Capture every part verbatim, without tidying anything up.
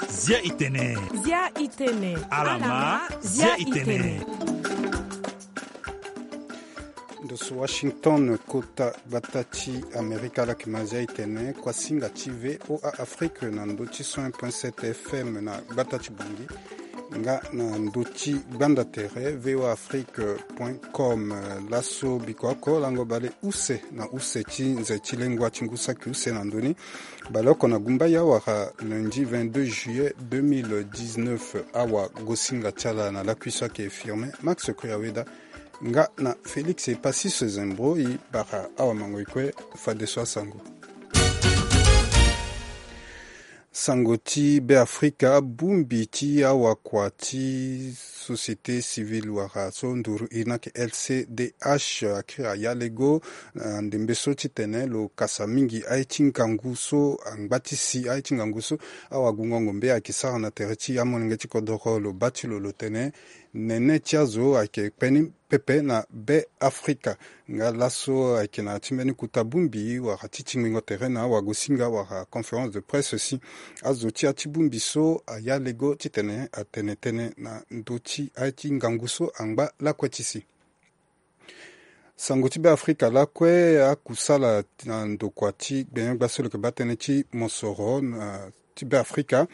Zia itene. Zia itene. Alama, zia itene. Ndo so Washington, kota gbata ti Amerika, ala yeke ma zia itene, kuasinga ti V O A Afrique na ndo ti cent un point sept F M na gbata ti Bangui, nga na ndo ti gbanda tere V O A Afrique point com. Laso biko oko lango bale use na use ti nze ti lengua ti ngu saki use na ndoni. Baleoko na gumba ya wara lundi vingt-deux juillet deux mille dix-neuf, awa gosinga ti ala na lakui so ayeke Firmin Max Kuyaweda, nga na Félix Epasis Zembro. E bara awa mango e kue fadeso asango. Sango ti Beafrika, bongbi ti awakua ti société civile wala so nduru iri ni ayeke L C D H akiri ayalego na ndembe so titene lo kasa mingi aye ti ngangu so angba ti si, aye ti ngangu so awagungo ngombe ayeke sara na tere ti amolenge ti kodoro. Lo baa ti lo lo tene nene ti azo ayeke kpe ni pepe na Beafrika. Nga laso ayeke na ya ti mbeni kota bongbi wala ti tingbingo tere na awagosinga wala conférence de presse si azo ti ya ti bongbi so ayalego titene atene tënë na ndö ti aye ti ngangu so angba lakue ti si. Sango ti Beafrika lakue, akusala na ndokua ti gbenyo-gbia so lo yeke baa tënë ti mosoro na ti Beafrika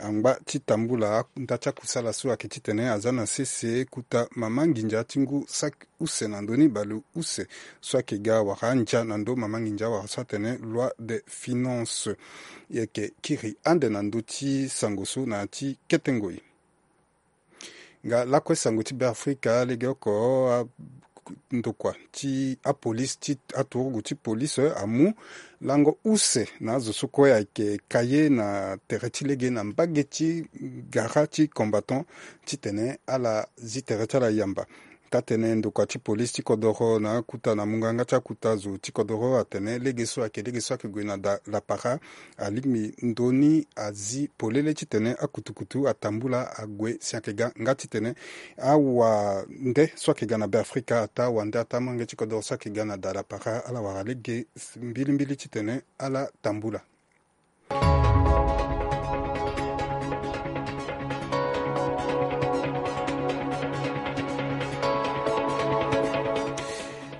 angba ti tambula nda ti akusala so ayeke titene aza na sese kota mama nginza ti ngu saki use na ndö ni baleuse so ayeke ga wala andia na ndö mama nginza wala so atene loi de finance. E yeke kiri ande na ndö ti sango so na ya ti kete ngoi. Nga lakue sango ti Beafrika, legeoko a ndokua ti apolisi ti aturugu ti polisi amu lango use na azo so kue ayeke ka ye na tere ti lege na mbage ti gara ti Combattant titene ala zi tere ti ala yamba. Taa-tënë ndokua ti polisi ti kodoro na akuta na munganga ti akuta zo ti kodoro atene lege so ayeke lege so ayeke gue na da lapara alingbi ndoni azi polele titene akutukutu atambula ague si ayeke ga nga titene awande so ayeke ga na Beafrika ataa wande ataa molenge ti kodoro so ayeke ga na da lapara ala wara lege mbilimbili titene ala tambula.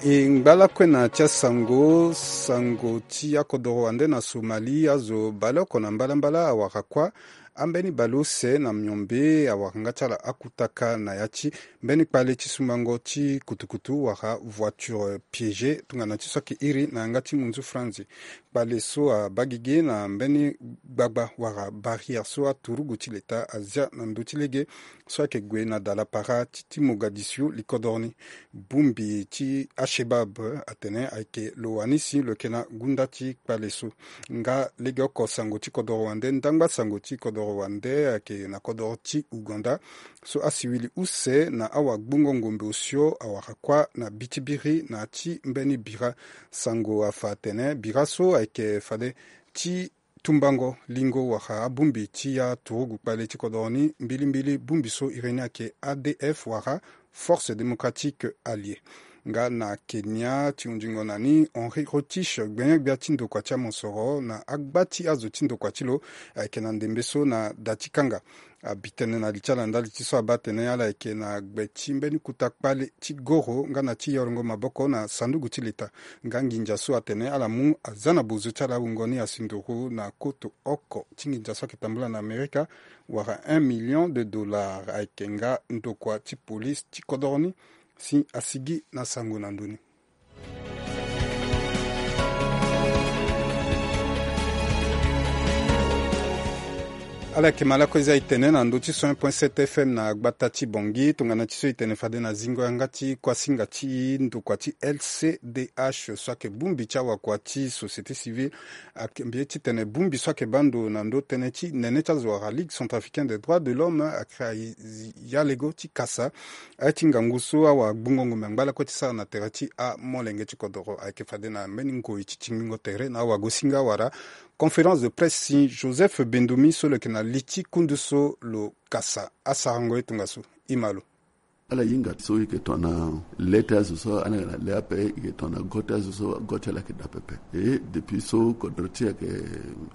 E ngba lakue na ti asango, sango ti akodoro wande na Somalie, azo baleoko na mbalambala awara kuâ ambeni baleuse na miombe awara nga ti ala akutaka na ya ti mbeni kpale ti sumbango ti kutukutu wala voiture piégée tongana ti so ayeke iri na yanga ti munzu franzi. Kpale so abaa gigi na mbeni gbagba wala barrière so aturugu ti leta azia na ndö ti lege so ayeke gue na da lapara ti, ti Mogadiscio likodoro ni. Bongbi ti Al-Shebab atene ayeke lo wani si lo yeke na gunda ti kpale so. Nga legeoko sango ti kodoro wande, ndangba sango ti kodoro wande ayeke na kodoro ti Ouganda so asiwili use na awagbongo ngombe osio awara kuâ na bi ti biri na ya ti mbeni bira. Sango afa atene bira so ayeke fade ti tumbango lingo wala abongbi ti aturugu kpale ti kodoro ni mbilimbili. Bongbi so iri ni ayeke A D F wala Force Démocratique Alliée. Nga na Kenya ti hunzingo na ni, Henri Rotich, gbenyo-gbia ti ndokua ti amosoro na agba ti azo ti ndokua ti lo ayeke na ndembe so na da ti kanga. Abi tënë na li ti ala ndali ti so abaa atene ala yeke na gbe ti mbeni kota kpale ti goro nga na ti yorongo maboko na sanduku ti leta. Nga nginza so atene ala mu aza na bozo ti ala awungo ni asi nduru na koto oko ti nginza so ayeke tambula na Amerika wala un million de dollars. Ayeke nga ndokua ti polisi ti kodoro ni si asigi na sango na ndö ni. Ala yeke ma lakue zia e tene na ndö ti cent un point sept F M na gbata ti Bangui, tongana ti so e tene fade na zingo yanga ti kuasinga ti ndokua ti L C D H so ayeke bongbi ti awakua ti société civile. Ayeke mbi ye titene bongbi so ayeke baa ndo na ndö tënë ti nene ti azo wala Ligue Centrafricaine des Droits de l'Homme ayeke ya lego ti kasa aye ti ngangu so awagbongo ngombe angba lakue ti sara na tere ti amolenge ti kodoro. Ayeke fade na mbeni ngoi ti tingbingo tere na awagosinga wala conférence de presse si Joseph Bendomi so lo yeke na li ti kundu so lo kasa asarango ye tongaso. E ma lo. Ala hinga so e yeke tongana le ti azo so ala yeke na le ape, e yeke tongana go ti azo so go ti ala yeke daa pepe. E depuis so kodro ti e ayeke,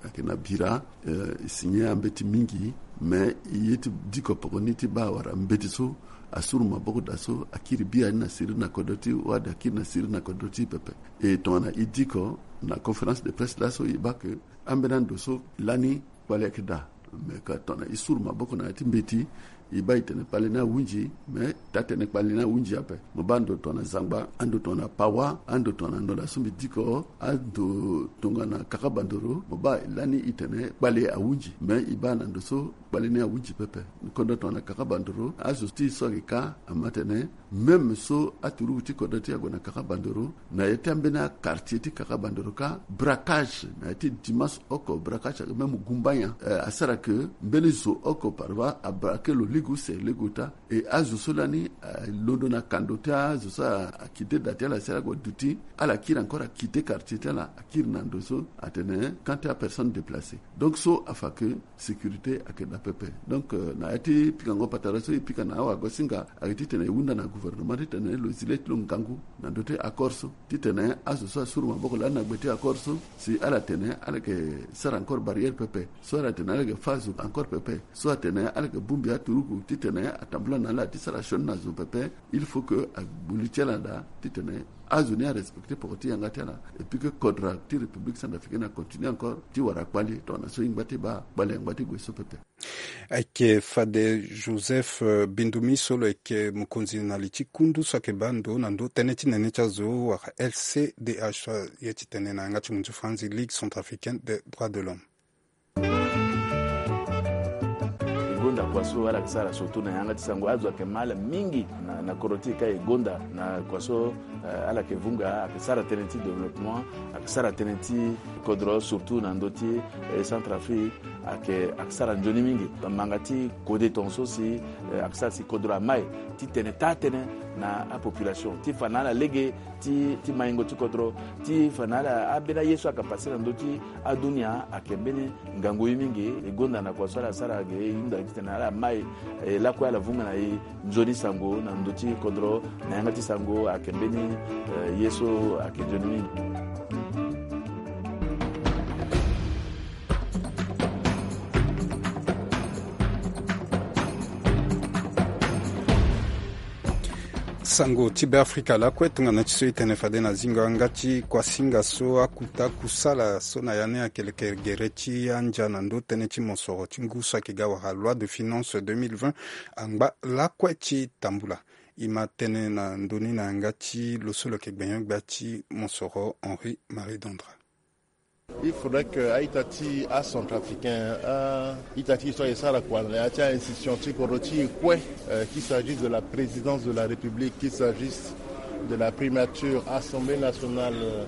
ayeke na bira, eh, e signe ambeti mingi. Me e ye ti diko poko ni ti baa wala mbeti so asuru maboko daa so akiri bia ni na siriri na kodro ti e, wala akiri na siriri na kodro ti e pepe. E tongana e diko na conférence de presse laso, e baa ke ambeni ando so lani kpale ayeke daa. Me ka tongana e suru maboko na ya ti mbeti, e baa e tene kpale ni ahunzi. Me taa tene kpale ni ahunzi ape. Mo baa ando tongana Zangba, ando tongana Pawa, ando tongana ndo laa so mbi diko, ando tongana Kakabandoro, mo baa lani e tene kpale ahunzi. Me e baa na ndo so kpale ni ahunzi pepe. Kodro tongana Kakabandoro, azo ti e so ayeke ka ama tene, même so aturugu ti kodro ti e ague na Kakabandoro, na ya ti ambeni quartier ti Kakabandoro ka, braquage na ya ti dimanche oko, braquage ayeke même gumba nyen, eh, asara ke mbeni zo oko parfois abraquer lo lege use lege ota. E azo so lani, eh, alondo na kando ti azo so a, a quitter da ti ala si ala gue duti, ala kiri encore a quitter quartier ti ala, akiri na ndo so atene camp ti apersonne déplacée. Donc so afa ke sécurité ayeke daa pepe. Donc, euh, na ya ti pikango patara so e pika na awagosinga ayeke titene e hunda na gouvernement titene lo zi le ti lo ngangu na ndö ti accord so, titene azo so asuru maboko lani na gbe ti accord so, si ala tene ala yeke sara encore barrière pepe, so ala tene ala yeke fâ azo encore pepe, so atene ala yeke bongbi aturugu titene atambula na ala ti sara sioni na zo pepe. Il faut que agbu li ti ala daa titene azo ni arespecter poko ti yanga ti ala. Et puis que kodro ti République centrafricaine acontinue encore ti wara kpale tongana so e ngba ti baa kpale angba ti gue so pepe. Ayeke fade Joseph, euh, Bindumi so lo yeke mokonzi na li ti kundu so ayeke baa ndo na ndo tënë ti nene ti azo wala L C D H, ye ti tene na yanga ti munzu franzi Ligue centrafricaine des droits de l'homme. E gonda kua so ala yeke sara surtout na yanga ti sango, azo ayeke ma ala mingi na, na kodro ti e ka e gonda na kua so, eh, ala yeke vunga, ayeke sara tënë ti développement, ayeke sara tënë ti kodro surtout na ndö ti, eh, Centrafrique, ayeke, ayeke sara nzoni mingi. Manga ti kode tongaso si, eh, ayeke sara si kodro amai titene taa tënë na apopulation ti fa na ala lege ti, ti maingo ti kodro, ti fa na ala ambeni aye so ayeke pase na ndö ti adunia ayeke mbeni ngangu ye mingi. E gonda na kua so ala sara ge, e hunda titene ala mai, e lakue ala vunga na e nzoni sango na ndö ti kodro na yanga ti sango ayeke mbeni, eh, ye so ayeke nzoni mingi. Sango ti Beafrika lakue tongana ti so e tene fade na zingo yanga ti kuasinga so akuta kusala so na ya ni ayeke leke gere ti andia na ndö tënë ti mosoro ti ngu so ayeke ga wala loi de finance deux mille vingt angba lakue ti tambula. E ma tene na ndö ni na yanga ti lo so lo yeke gbenyo-gbia ti mosoro Henri Marie Dandra. Il faudrait que a-ita ti acentrafricain, a-ita ti e so ayeke sara kua na ya ti a-institution ti kodro ti e kue, euh, qu'il s'agisse de la présidence de la République, qu'il s'agisse de la primature, Assemblée nationale, euh,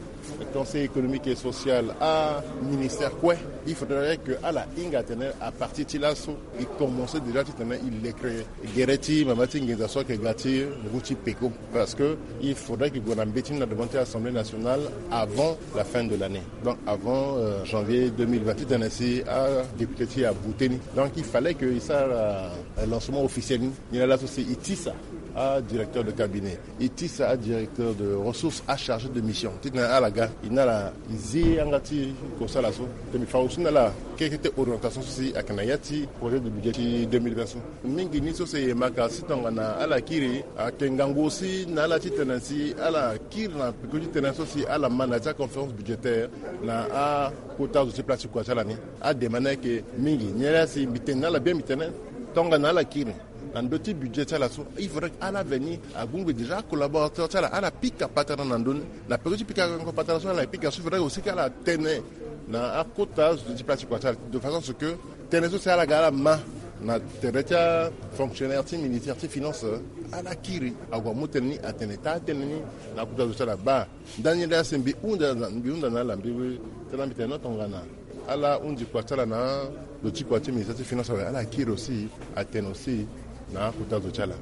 Conseil économique et social, aministère kue, il faudrait que ala hinga atene à partir ti laso e commencer déjà titene e leke gere ti mama ti nginza so ayeke ga ti ngu ti peko. Parce que il faudrait que e gue na mbeti ni na devant ti Assemblée nationale avant la fin de l'année. Donc avant, euh, janvier deux mille vingt, titene si adéputé ti e abu tënë ni. Donc il fallait que e sara, euh, lancement officiel ni. Ni laa laso si e tisa adirecteur de cabinet, e tisa adirecteur de ressources, achargé de mission, titene ala ga, e na ala e zi yanga ti kosala so. Titene e fa aussi na ala keke ti orientation so si ayeke na ya ti projet de budget ti deux mille vingt so. Mingi ni so si e yema ka si tongana ala kiri, ayeke ngangu aussi na ala titene si ala kiri na peko ti tënë so si ala ma na ya ti aconférence budgétaire na akota zo ti place ti kua ti ala ni. Ademande ni ayeke mingi. Ni laa si mbi tene na ala bien, mbi tene tongana ala kiri na ndö ti budget ti ala so, il faudrait que ala veni agungbi déjà acollaborateur ti ala, ala pika patara na ndö ni. Na peko ti pika patara so ala pika so, il faudrait aussi que ala tene na akota zo ti place ti kua ti ala, de façon à ce que tënë so si ala ga ala ma na tere ti afonctionnaire ti ministère ti finance, ala kiri ague amu tënë ni, atene taa tënë ni na akota zo ti ala. Baa ndani laa si mbi hunda na, mbi hunda na ala, mbi tene, mbi tene no tongana ala hunzi kua ti ala na lo ti kua ti ministère ti finance awe, ala kiri aussi atene aussi na akota zo ti ala.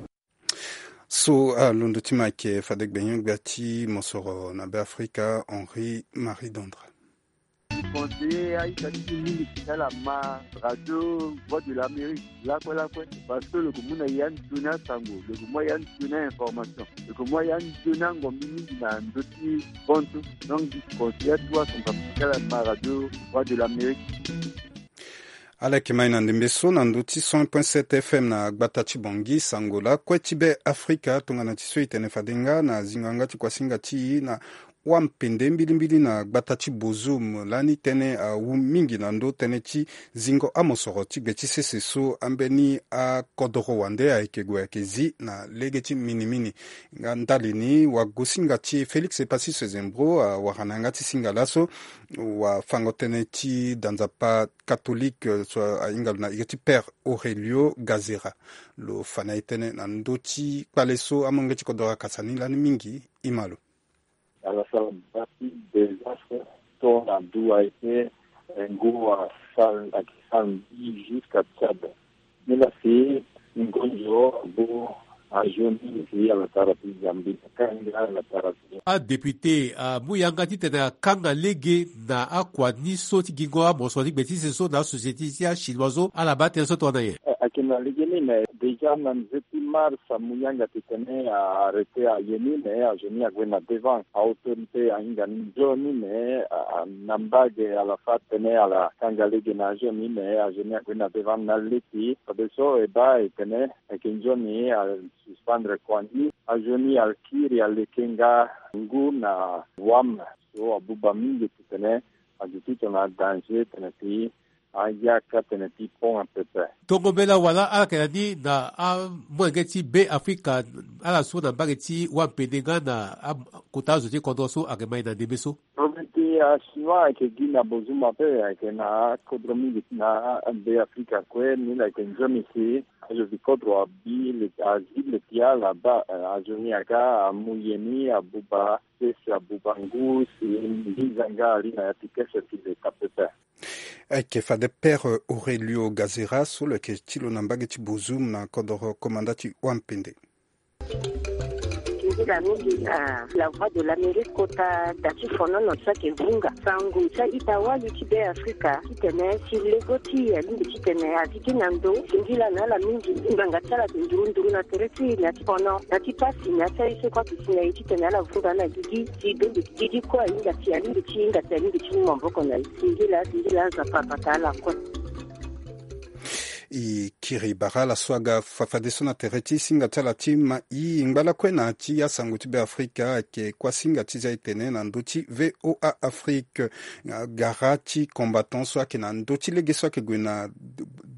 So alondo ti mo ayeke fade gbenyo-gbia ti mosoro na Beafrika, Henri Marie Dandra. conseiller aita ti mingi ti ala ma radio Voix de l'Amérique lakue lakue, parce que lo yeke mu na ya nzoni asango, lo yeke mu ya nzoni a-information, lo yeke mu ya nzoni angombi mingi na ndö ti bantu. Donc di conseiller atu asango ti ala ma radio Voix de l'Amérique. Ala yeke mai na ndembe so na ndö ti cent point sept F M na gbata ti Bangui, sango lakue ti Be Afrika. Tongana ti so e tene fade nga na zingo yanga ti kuasinga ti e na wampende mbilimbili na gbata ti Bozoum lani tënë awu mingi na ndö tënë ti zingo amosoro ti gbe ti sese so ambeni akodoro wande ayeke gue ayeke zi na lege ti minimini. Nga ndali ni wagosinga ti e Félix Epassis Sezembro awara na yanga ti singa laso wafango tënë ti da nzapa catholique, eh, so ahinga lo na iri ti Père Aurelio Gazera. Lo fa na e tënë na ndö ti kpale so amolenge ti kodoro akasa ni lani mingi. Ima lo. Ala sara bâti désastre, to na dua ete, eh, ngu asal, ayeke sal mbi jusqu'à Tchad. Ni la si ngonzo abo azo ni si ala sara ti Zambie, kanga ala sara ti. Adéputé amu yanga titene akanga lege na akua ni so ti gingo amosoro ti gbe ti sese so na asociété ti achinois so, ala baa tënë so tongana nyen? Eh, ayeke na lege ni me déjà na nze ti mars amu yanga titene a arrêté aye ni me azo ni ague na devant. Autorité ahinga ni nzoni me, a, a, na mbage ala fâ tene ala kanga lege na azo ni me azo ni ague na devant na leti. Fadeso e baa e tene ayeke nzoni a suspendre kua ni. Azo ni akiri aleke nga ngu na wam so abuba mingi titene azo ti tongana danger tene si ayaka tene ti pont apepe. Tongo mbela wala ala yeke na ni na amolenge ti Be Afrika, ala so na mbage ti wampende nga na akota azo ti kodro so ayeke mai na ndembe so. Problème ti achinois ayeke gi na Bozoum ape, ayeke na akodro mingi na Be Afrika kue. Ni la yeke nzoni si azo ti kodro abi le, azi le ti ala baa, eh, azo ni aga amu ye ni abuba sese abuba ngu si mbi za nga ali na ya ti kese ti leta pepe. Ayeke fade Père Aurelio Gazera so lo yeke ti lo na mbage ti Bozoum na kodoro komanda ti wampende. Nzila mingi na La Voix de l'Amérique kota da ti fonono so ayeke vunga. Sango ti a-ita wali ti Be Afrika titene si lego ti e alingbi titene azi gi na ndo singila na ala mingi. Ngbanga ti ala ayeke nduru nduru na tere ti e na ti fono na ti pasi na ya ti aye so kue ayeke si na e titene ala vunga na gigi. Si bembe gigi kue ahinga si alingbi ti hinga si alingbi ti mu maboko na e. Singila singila Nzapa abata ala kue. E kiri bara ala so aga fa fadeso na tere ti singa ti ala ti mai. Ngba lakue na ya ti asango ti Be Afrika ayeke kuasinga ti za e tene na ndö ti V O A Afrique. Gara ti combattant so ayeke na ndö ti lege so ayeke gue na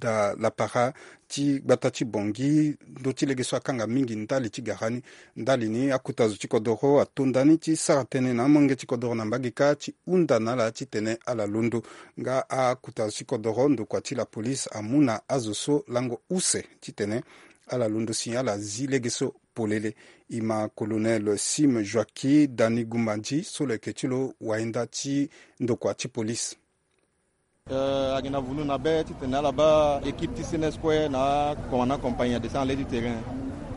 da lapara ti gbata ti Bangui, ndö ti lege so akanga mingi ndali ti gara ni. Ndali ni akuta zo ti kodoro atonda ni ti sara tënë na amolenge ti kodoro na mbage kâ ti hunda na ala titene ala londo. Nga akuta zo ti kodoro, ndokua ti lapolice amu na azo so lango use titene ala londo si ala zi lege so polele. E ma colonel Sim Joaquim Dani Gumbandi so lo yeke ti lo wayenda ti ndokua ti police. Eh, ayeke na vunu na be titene ala baa équipe ti C N S kue na commandant compagnie adescend na le ti terrain.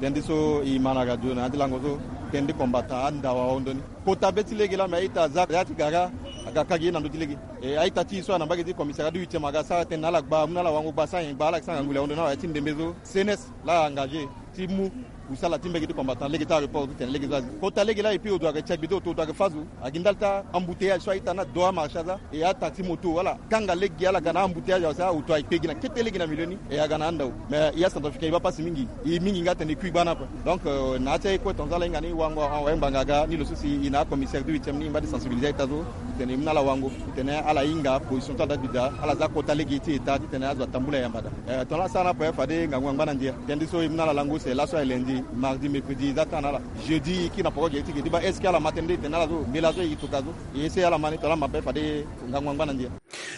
Tënë ti so e ma na radio na ya ti lango so, tënë ti combattant andawa ahon ndoni. Kota be ti lege laa me a-ita aza ya ti gara aga ka gi ye na ndö ti lege. E a-ita ti e so ayeke na mbage ti commissariat ti huitième aga sara tënë na ala gba amu na ala wango gba sara nyen gba ala yeke sara ngangu le ahon ndoni na ala ya ti ndembe so C N S laa a engagé ti mu kusala ti mbage ti combattant lege ti aéroport titene lege so azi. Kota lege laa et puis odo ayeke ti agbe ti oto oto ayeke fâ zo. Ayeke ndali ti embouteillage so a-ita ni ado amarché aza. E ataxi moto wala kanga lege ala ga na embouteillage awe si oto ayeke kpe gi na kete lege na milieu ni. E aga na andau. Mais e acentrafricain e baa pasi mingi. E mingi nga atene e kui gbani ape. Donc, euh, na ya ti aye kue tongaso ala hinga ni wango awe ngbanga aga ni lo so si e na acommissaire ti huitième ni e ngba ti sensibiliser a-ita so titene e mu na ala wango titene ala hinga position ti ala da bi daa ala za kota lege ti état titene azo atambula yamba daa. Eh, tongana asara ni ape fade ngangu angba na ndia. Tënë ti so e mu na ala lango use laso aye lundi, mardi, mercredi e za temps na ala. Jeudi e kiri na poko gere ti gere ti baa est-ce que ala ma tënë nde e tene na ala so mbela so e toka so. E essayer ala ma ni tongana ala ma ape fade ngangu angba na ndia.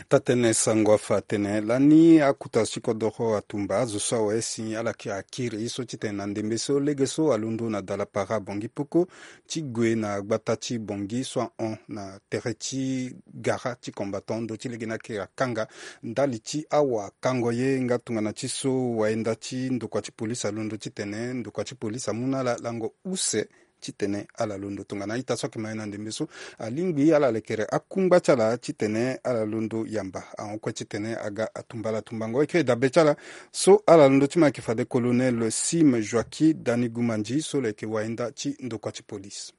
Taa-tënë sango afa atene lani akuta zo ti kodoro atumba azo so awe si ala kiri akiri ye so titene na ndembe so lege so alondo na dalapara Bangui Poko ti gue na gbata ti Bangui so ahon na tere ti gara ti combattant ndö ti lege ni akiri akanga ndali ti awa kango ye nga tongana ti so wayenda ti ndokua ti polise alondo titene ndokua ti polise amu na ala lango use titene ala londo tongana a-ita so ayeke ma ye na ndembe so alingbi ala lekere akungba ti ala titene ala londo yamba ahon kue titene aga atumba ala tumbango. Eke dabe ti ala so ala londo ti ma ayeke fade colonel Sim Joaquim Danigumandi so lo yeke wahinda ti ndokua ti polise.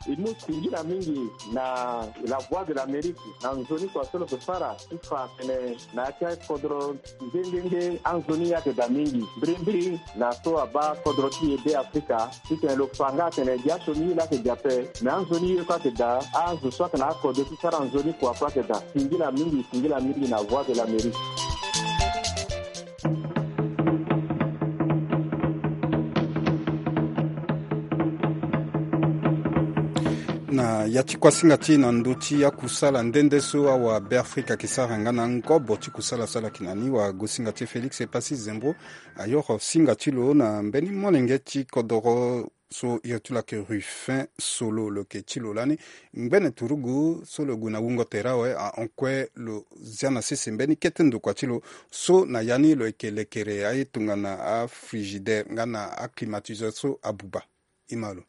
E mu singila mingi na La Voix de l'Amérique na nzoni kua so lo yeke sara ti fa tene na ya ti akodro nde nde nde anzoni ye ayeke daa mingi mbirimbiri na so abaa kodro ti e Beafrika titene lo fa nga atene gi asioni ye laa ayeke daa ape. Me anzoni ye kue ayeke daa, azo so ayeke na akode ti sara nzoni kua kue ayeke daa. Singila mingi, singila mingi na Voix de l'Amérique. Na ya ti kuasinga ti e na ndö ti akusala nde nde so awabeafrika ayeke sara nga na ngobo ti kusala so ala yeke na ni, wagosinga ti e Félix Epassi Zembo ayoro singa ti lo na mbeni molenge ti kodoro so iri ti lo ayeke Ruffin Solo. Lo yeke ti lo lani ngbene turugu so lo gue na wungo tere awe ahon kue lo zia na sese mbeni kete ndokua ti lo so na ya ni lo yeke lekere aye tongana afrigidaire nga na aclimatiseur so abuba. Ima lo.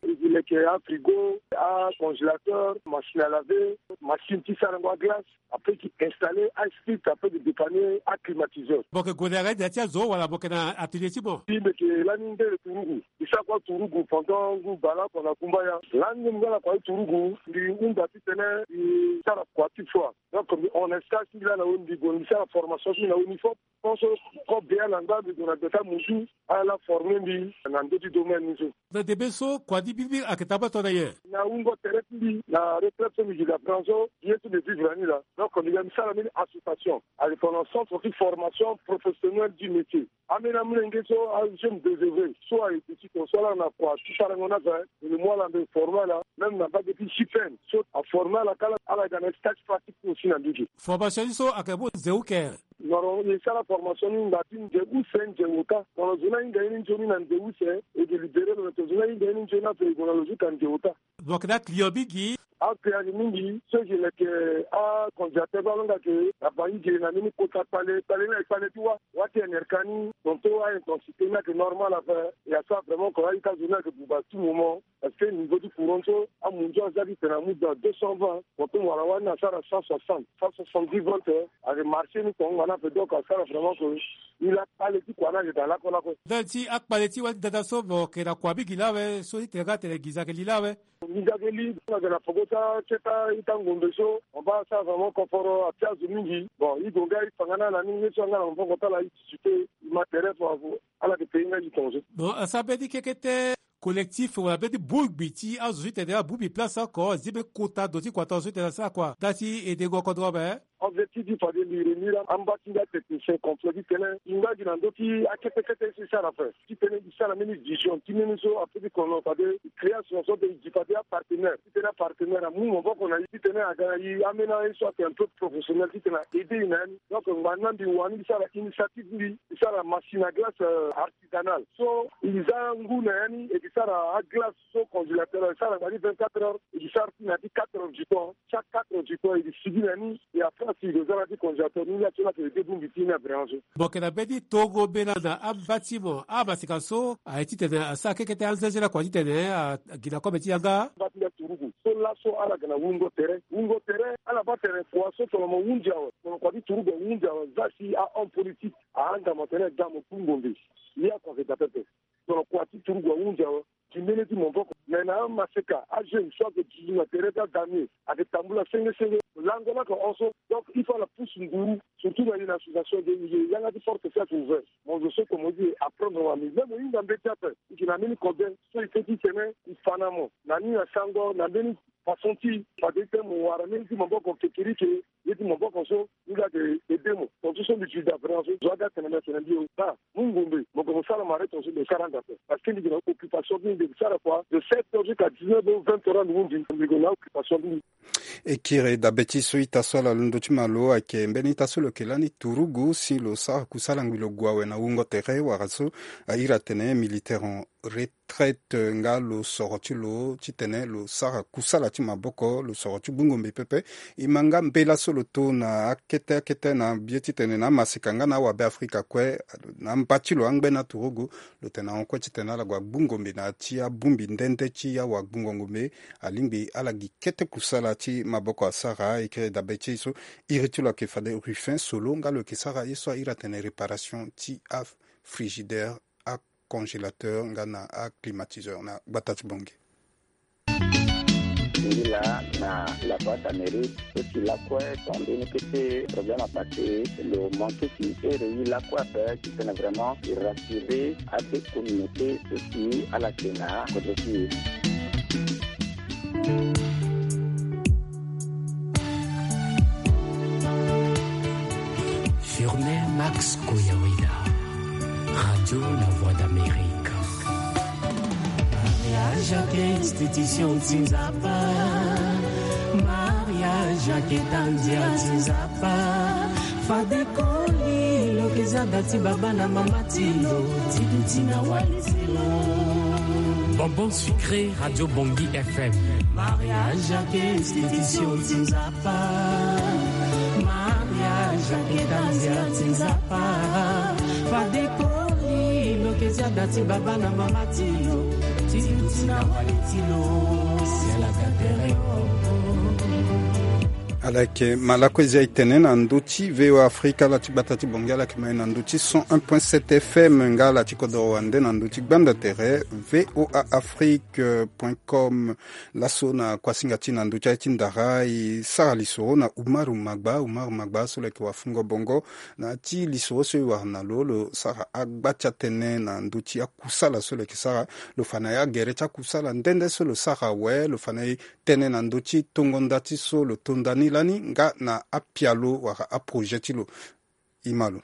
E leke afrigo, acongélateur, machine à laver, machine ti sarango aglace. Après ti installer aspit, après ti dépanner aclimatiseur. Mo yeke gue na yanga ti da ti azo wala mo yeke na atelier ti mo? Ti mbi yeke lani ndele turugu. Mbi sara kua turugu pendant ngu bale oko na kumbaya. Lani mbi nga na kua ti turugu, mbi hunda titene mbi sara kua ti froid. Donc mbi hon na stage ti mbi laa na ndo mbi gue mbi sara formation ti mbi na ndo mbi fo. Tant so, ko bia na nga mbi gue na gbeta muzu ala former mbi na ndö ti domaine ni so. Na ndembe so kua ni mbirimbiri ayeke tambula tongana nyen? Na wungo tere ti mbi na retraite so mbi gi na branche so, ye so mbi vivre na ni laa. Donc mbi ga mbi sara mbeni association ayeke tongana centre ti formation professionnelle du métier. Ambeni amolenge so ajeunes désœuvrés so aye petit ton so ala na kua ti sarango ni ape, mbi mu ala mbi former ala. Même na mbage ti J P N so aformer ala kâ ala ga na stage pratique aussi na ndö ge. Formation ni so ayeke mu nze uke? Normalement e sara formation ni ngba ti nze use nze ota. Tongana zo ni ahinga ye ni nzoni na nze use, e ke libérer lo na tongana zo ni ahinga ye ni nzoni ape e gue na lo zo ka nze ota. Mo yeke na aclient mingi? Aclient ayeke mingi. So e ke leke acongélateur so alonga ayeke na bangi ge na mbeni kota kpale kpale ni ayeke kpale ti wâ. Wâ ti N R K ni tongaso a-intensité ni ayeke normal ape. E asara vraiment ko a-ita zo ni ayeke buba tout moment. Parce que niveau ti courant so amunzu aza ti tene amu dans deux cent vingt, tongaso mo wara wâ ni asara cent soixante, cent soixante-dix volts. Ayeke marché ni tonga na ape donc asara vraiment ko. Ni la kpale ti kua ni ayeke daa lakue lakue. Ndali ti akpale ti wâ ni dada so mo yeke na kua mingi lawe so ti tene nga atene nginza ayeke li lawe. Nginza ayeke li, ayeke na poko ti akete a-ita ngombe so mo baa asara vraiment confort atia zo mingi. Bon e gue nga e fa nga na ala ni ye so anga na maboko ti ala e discuter e ma tere fo. Ala yeke payé nga gi tongaso. Bon asara mbeni kekete collectif wala mbeni bongbi ti azo so ti tene abongbi place oko azi mbeni kota ndo ti kua tongaso ti tene asara kua ndali ti edengo kodro ape? Objectif ti fade mbi réunir amba ti nga technicien complet ti tene e nga gi na ndö ti akete kete so e sara ape. Ti tene e sara mbeni vision ti mbeni so ape ti kono fade e création so de e gi fade apartenaire ti tene apartenaire amu maboko na e ti tene aga na e ambeni aye so ayeke un peu professionnel ti tene a aider e na ya ni. Donc ngba ni na mbi wani mbi sara initiative ti mbi e sara machine à glace artisanale so e za ngu na ya ni e ke sara aglace so congélateur e sara ngba ni vingt-quatre heures e ke sara ti na ya ti quatre heures du temps. Chaque quatre heures du temps e ke sigi na ni. E après si e ke za na ya ti congélateur ni la so ni ayeke aide bongbi ti ni na vraiment so. Mo yeke na mbeni tongo mbela na amba ti mo amaseka so aye ti tene asara kekete anzenze lakua ti tene agi na kobe ti yanga. Amba ti nda turugu so laso ala yeke na wungo tere wungo tere ala baa tene kua so tongana mo hunzi awe tongana kua ti turugu ahunzi awe za si ahomme politique ahanda mo tene da mo ku ngombe. Ye akua ayeke daa pepe. Tongana kua ti turugu ahunzi awe gi mbeni ti maboko. Me na amaseka ajeune so ayeke duzu na tere ti adamier ayeke tambula senge senge. Lango ni ayeke hon so donc il faut ala pousse nguru surtout na ye na association de ye yanga ti porte so ayeke ouvert. Mo zo so comme mo di e apprendre wa mi même mo hinga mbeti ape e yeke na mbeni kobe so e peut ti tene e fa na mo na ni na sango na mbeni façon ti fade ti tene mo wara mbeni ti maboko kekerike. Ye ti maboko so ni la de ede mo tongaso so mbi ti da vraiment so zo aga tene mbi atene mbi o ba mu ngombe mo gue mo sara mare tongaso mbi sara anda ape. Parce que mbi gue na occupation ti mbi mbi sara kua de sept heures jusqu'à dix-neuf heures vingt heures ande hunzi mbi gue na occupation ti mbi. E kiri dabe ti so ita so ala londo ti malo ayeke mbeni ita so lo yeke lani turugu si lo sara kusala ngbi lo gue awe na wungo tere wala so a iri atene militaire en retraite nga lo soro ti lo titene lo sara kusala ti maboko lo soro ti gbungo mbi pepe. E ma nga mbela so lo to na akete akete na bie titene na amasika nga na awabe afrika kue na mba ti lo angbe na turugu. Lo tene ahon kue titene ala gue agbungo mbi na ya ti abongbi nde nde ti awagbungo ngombe. Alingbi ala gi kete kusala ti maboko asara. E kiri dabe ti e so iri ti lo ayeke fade ruffin solo nga lo yeke sara ye so a iri atene réparation ti afrigidaire, acongélateur nga na aclimatiseur na gbata ti bongi. Ngi la na la boîte amérique. Eti lakue tande ni kete problème apase lo manke ti ere yi lakue ape titene vraiment e rassurer ate communauté so si ala ke na kodro ti e. Firmin Max Koyaweda, Radio La Voix d'Amérique. Mariage ake institution ti nzapa. Mariage ake tandia ti nzapa. Fade koli lo ke za da ti baba na mama ti lo. Ti duti na wali ti lo. Bonbon sucré, Radio Bongi F M. Mariage ake institution ti nzapa. Mariage ake tandia ti nzapa. Fade koli lo ke za da ti baba na mama ti lo. Ti duti na wali ti lo. Si ala ga tere o. Ala yeke ma lakue zia e tene na ndö ti V O A Afrika ala ti gbata ti bongi ala yeke ma e na ndö ti cent un point sept F M nga ala ti kodoro wande na ndö ti gbanda tere V O A Afrique point com. Laso na kuasinga ti na ndö ti aye ti ndara e sara lisoro na Umaru Magba. Umaru Magba so lo yeke wafungo bongo na ya ti lisoro so e wara na lo lo sara agba ti atënë na ndö ti akusala so lo yeke sara. Lo fa na e agere ti akusala nde nde so lo sara awe lo fa na e tënë na ndö ti tongo nda ti so lo to nda ni lani nga na apialo wala aprojet ti lo. E ma lo.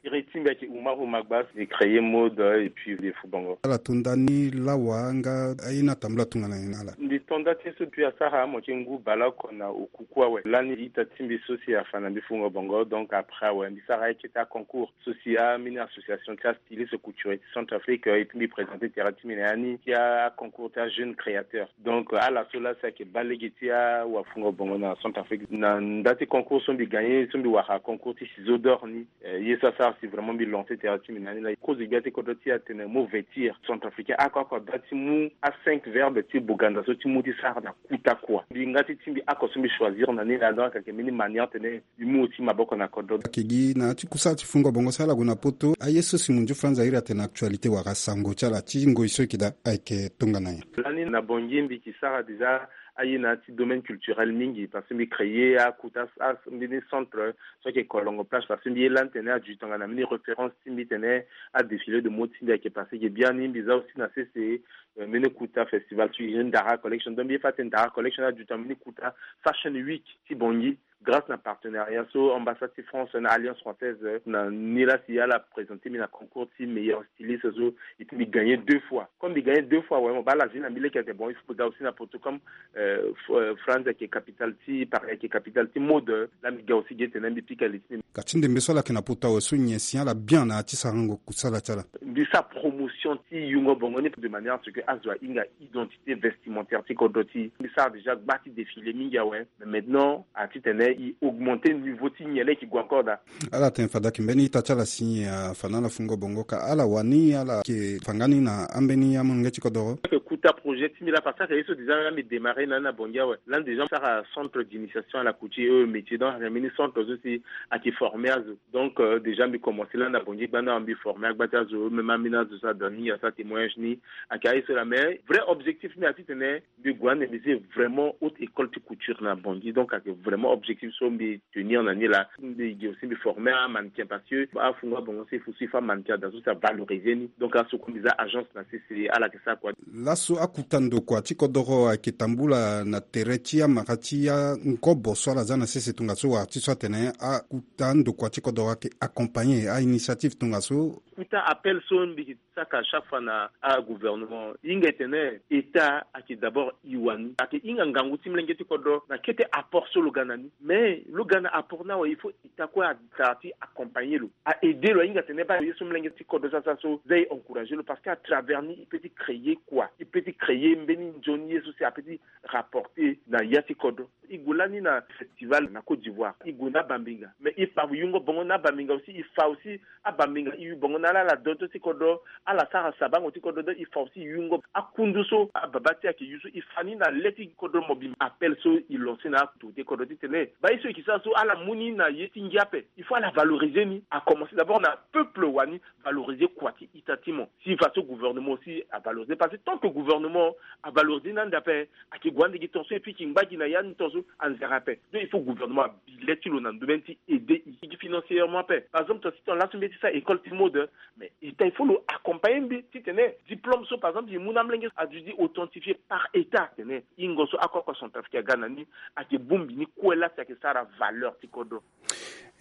Iri ti mbi ayeke Umaru Magba, mbi créer mode et puis mbi fu bongo. Ala to nda ni lawa nga aye ni atambula tongana nyen na ala? Mbi to nda ti ye so depuis asara amoke ngu baleoko na okuku awe. Lani ita ti mbi so si afa na mbi fungo bongo, donc après awe mbi sara aye kete aconcours so si ambeni association ti astyliste couturier ti Centrafrique, euh, et puis mbi présenter tere ti mbi na ya ni ti aconcours ti ajeune créateur. Donc, euh, ala so laa si ayeke baa lege ti awafungo bongo na Centrafrique. Na nda ti concours so mbi gagner, so mbi wara concours ti ciseau d'or ni, euh, ye so asara si vraiment mbi lancer tere ti mbi na ni laa. Kozo gbia ti kodro ti e atene mo vêtir centrafricain, oko oko da ti mu a cinq verbe ti boganda so ti mu ti sara na kuta kua. Mbi nga ti ti mbi oko so mbi choisir na ni laa, donc ayeke mbeni manière tene mbi mu aussi maboko na kodro. Ayeke gi na ya ti kusala ti fungo bongo si ala gue na poto, aye so Simon Diouf Franz a iri atene actualité wala sango ti ala ti ngoi so e yeke daa ayeke tongana nyen? Lani na Bangui mbi yeke sara déjà aye na ya ti domaine culturel mingi, parce que mbi créer akuta, a, mbeni centre so ayeke Kolongo Plage, parce que mbi ye lani tene aduti tongana mbeni référence ti mbi tene adéfilé de mode ti mbi ayeke passé ge biani. Mbi za aussi na sese, euh, mbeni kuta festival so e Ndara Collection. Donc mbi ye fa atene Ndara Collection aduti na mbeni kuta Fashion Week ti Bangui, grâce na partenariat so ambassade ti France na Alliance Française, euh, na ni laa si ala présenter mbi na concours ti meilleur styliste so, et puis mbi gagner deux fois. Comme mbi gagner deux fois, ouais, mo baa ala zi na mbi lege atene bon, il faut que mbi ga aussi na poto comme, euh, F-, euh, Franz ayeke capitale ti, Paris ayeke capitale ti mode, euh, laa mbi ga aussi ge tene mbi pika li ti mbi. Ka ti ndembe so ala yeke na poto awe so nyen si ala bien na ya ti sarango kusala ti ala? Mbi sara promotion ti yungo bongo ni de manière à ce que azo ahinga identité vestimentaire ti kodro ti e. Mbi sara déjà gba ti défilé mingi awe. Mais maintenant, a ti tene e augmenter niveau ti nyen laa e yeke gue encore daa. Ala tene fade ayeke mbeni ita ti ala si nyen afa na ala fungo bongo, ka ala wani ala yeke fa nga ni na ambeni amolenge ti kodoro? Ayeke kuta projet ti mbi laa parce que ayeke ye so déjà laa mbi démarrer na ni na Bangui awe. Lani déjà mbi sara centre d'initiation à la couture et aux métiers, donc ayeke mbeni centre so si ayeke former azo. Donc, euh, déjà mbi commencer lani na Bangui gbanda, mbi former agba ti azo, même ambeni azo so adon ni, asara témoignage ni. Ayeke aye so laa, mais vrai objectif ti mbi a ti tene mbi gue ande mbi zi vraiment haute école ti couture na Bangui. Donc ayeke vraiment objectif Si so mbi tenir na ni laa, mbi gi aussi mbi former amannequin parce que afungo abongo so il faut so il faut amannequin daa so si avaloriser ni. Donc aso kue mbi za agence na sese ala yeke sara kua. Laso akuta ndokua ti kodoro ayeke tambula na tere ti amara ti angobo so ala za na sese tongaso wala ti so atene akuta ndokua ti kodoro ayeke accompagner ainitiative tongaso. Kuta appel so mbi yeke saka chaque fois na agouvernement, hinga e tene état ayeke d'abord e wani, ayeke hinga ngangu ti molenge ti kodro na kete apport so lo ga na ni. Mais lo ga na apport ni awe, il faut état kue asara ti accompagner lo, a aider lo, ahinga tene baa ye so molenge ti kodro so asara so za e encourager lo parce que à travers ni e peut ti créer kua, e peut ti créer mbeni nzoni ye so si a peut ti rapporter na ya ti kodro. E gue lani na festival na Côte d'Ivoire, e gue na abambinga, mais e fa yungo bongo na abambinga aussi, e fa aussi abambinga e yu bongo na ala ala donto ti kodro, ala sara sabango ti kodro, donc e fa aussi yungo akundu so ababa ti e ayeke yu so e fa ni na le ti kodro mobimba. Appel so e lancer na autorité kodro titene baa ye so e yeke sara so ala mu ni na ye ti ngia ape, il faut ala valoriser ni. A commencer d'abord na peuple wani, valoriser kua ti ita ti mo. Si façon gouvernement aussi avaloriser, parce que tant que gouvernement avaloriser ni ande ape, ayeke gue ande gi ton so et puis e yeke ngba gi na ya ni ton so anzere ape. Donc il faut gouvernement abi le ti lo na ndomaine ti aider e gi financièrement ape. Par exemple ton si ton laso mbi ye ti sara école ti mode, mais état il faut lo accompagner mbi titene diplôme so par exemple e mu na amolenge adui di authentifié par état titene hingo so akoko centrafricain aga na ni ayeke bongbi ni kue laa si ayeke sara valeur ti kodro.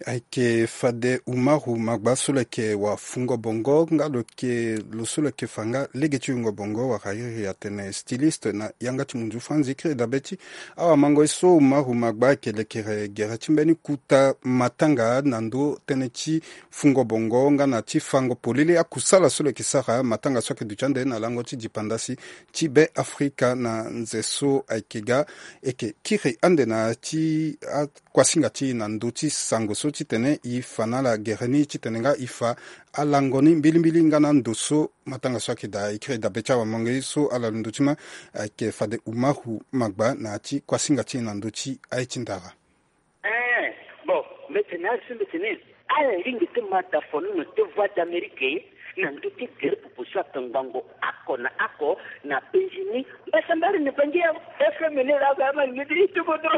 Ayeke fade Umaru Magba so lo yeke wafungo bongo nga lo yeke lo so lo yeke fa nga lege ti wungo bongo wala iri atene styliste na yanga ti munzu franzi. Kiri dabe ti awamangoi so Umaru Magba ayeke lekere gere ti mbeni kuta matanga na ndo tënë ti fungo bongo nga na ti fango polele akusala so lo yeke sara matanga so ayeke duti ande na lango ti dipandasi ti Be Afrika na nze so ayeke ga. E yeke kiri ande na ti akuasinga ti e na ndö ti sango so titene e fa na ala gere ni titene nga e fa alango ni mbilimbili nga na ndo so matanga so ayeke daa. E kiri dabe ti awamangoi so ala londo ti ma ayeke fade Umaru Magba na ya ti kuasinga ti e na ndö ti aye ti ndara. Eh, bon, mbi tene asi mbi tene ala lingbi ti ma da fono na te Voix d'Amérique na ndö ti gere pupu so atongbango oko na oko na penzi ni. Mbasambari ni bangi ya F M ni la ga ma ni ti kodo.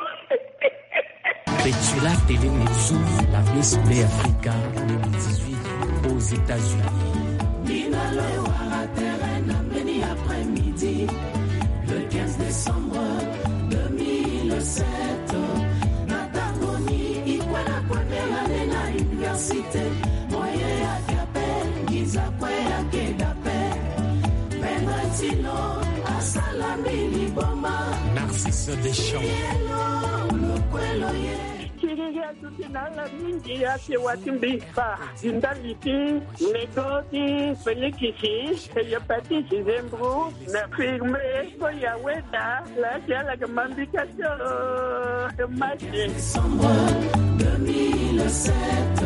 Betula Télé Netsu, la Miss Be Africa deux mille dix-huit aux États-Unis. Nina lo wara terrain na mbeni après-midi, le quinze décembre deux mille sept. Na tango ni e kue na première année na université, moyen ayeke ape, nginza kue ayeke dape. Maître Tino asala mbi liboma. Narcisse Deschamps. Yelo, lokwelo ye. Kiriri aduti na ala mingi, ake wa ti mbi fa. Ndali ti nego ti Félix, eye pa ti Gisembro, na firme so ya weda, la ti ala ke mambika tio, ke mati. Décembre deux mille sept,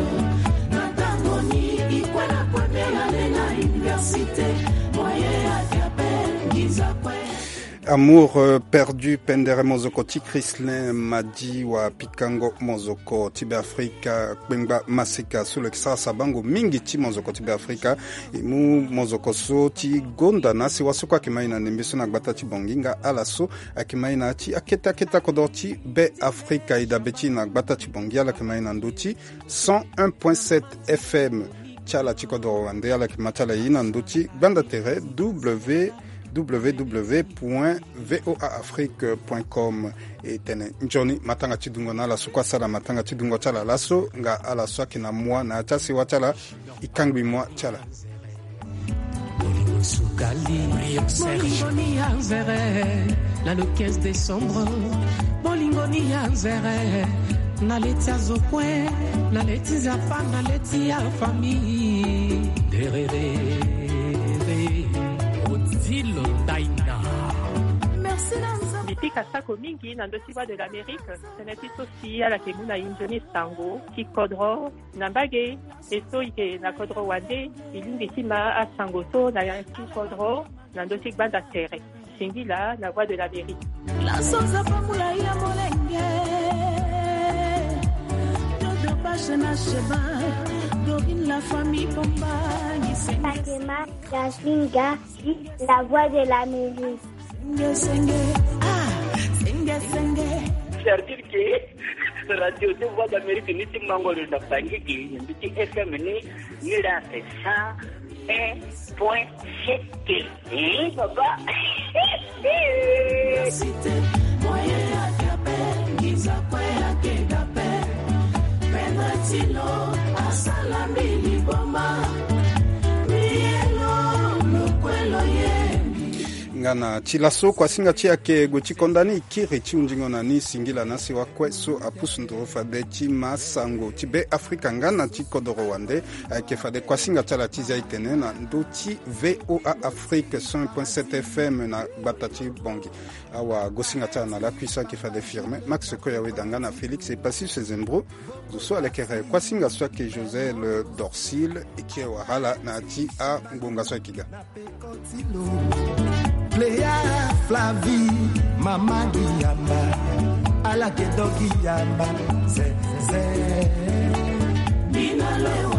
na tango ni e kue na première année na université, moyen ayeke ape, nginza kue. Amour, euh, perdu, pendere mozoko ti Chrislin Madi wa pikango mozoko ti Be Afrika, kpengba maseka so lo yeke sara sabango mingi ti mozoko ti Be Afrika. E mu mozoko so ti gonda na sewa so kue ayeke ma e na ndembe so na gbata ti Bangui nga ala so ayeke ma e na ya ti akete akete akodoro ti Be Afrika. E dabe ti e na gbata ti Bangui ala yeke ma e na ndö ti cent un point sept F M. Ti ala ti kodoro wande ala yeke ma ti ala ye na ndö ti gbanda tere W W W point V O A Afrique point com. E tene nzoni matanga ti dungo na ala so kue asara matanga ti dungo ti ala laso nga ala so ayeke na moi na ya ti asewa ti ala. E kangbi moi ti ala. Bolingo ni ya nzere, na le quinze décembre. Bolingo ni ya nzere, na le ti azo kue, na le ti nzapa, na le ti afamille. Derere, Odile Daina. Merci na nzapa. Mbi pika sako mingi na ndö ti Voix de l'Amérique, tënë ti so si ala yeke mu na e nzoni sango ti kodro. Na mbage e so e yeke na kodro wande, e lingbi ti ma asango so na ya ti kodro na ndö ti gbanda tere. Singila na Voix de l'Amérique. Laso Nzapa mula ya molenge. Dodo Bashe na Sheba, Dorine la famille Bomba, Gisenge. Fatima Jasmine Garci, la Voix de l'Amérique. Senge, senge, ah, senge, senge. C'est-à-dire que Radio ti Voix d'Amérique ni ti mango lo na Bangui gi, na mbi ti F M ni, ni la c'est cent un point sept. Eh, papa. Nga na ti laso kuasinga ti ayeke gue ti konda ni kiri ti hundingo na ni singila na si wakue so apusu nduru fade ti ma sango ti Be Afrika nga na ti kodoro wande. Ayeke fade kuasinga ti ala ti zia e tene na ndö ti V O A Afrique cent point sept F M na gbata ti Bangui. Awagosinga ti ala na lakui so ayeke fade Firmin Max Koyaweda nga na Félix Epassus Zembro. Zo so alekere kuasinga so ayeke Josel Dorsil e kiri wara ala na ya ti angbonga so ayeke ga. Cléa Flavie, mama gi yamba, ala ke do gi yamba, ze, ze. Bina le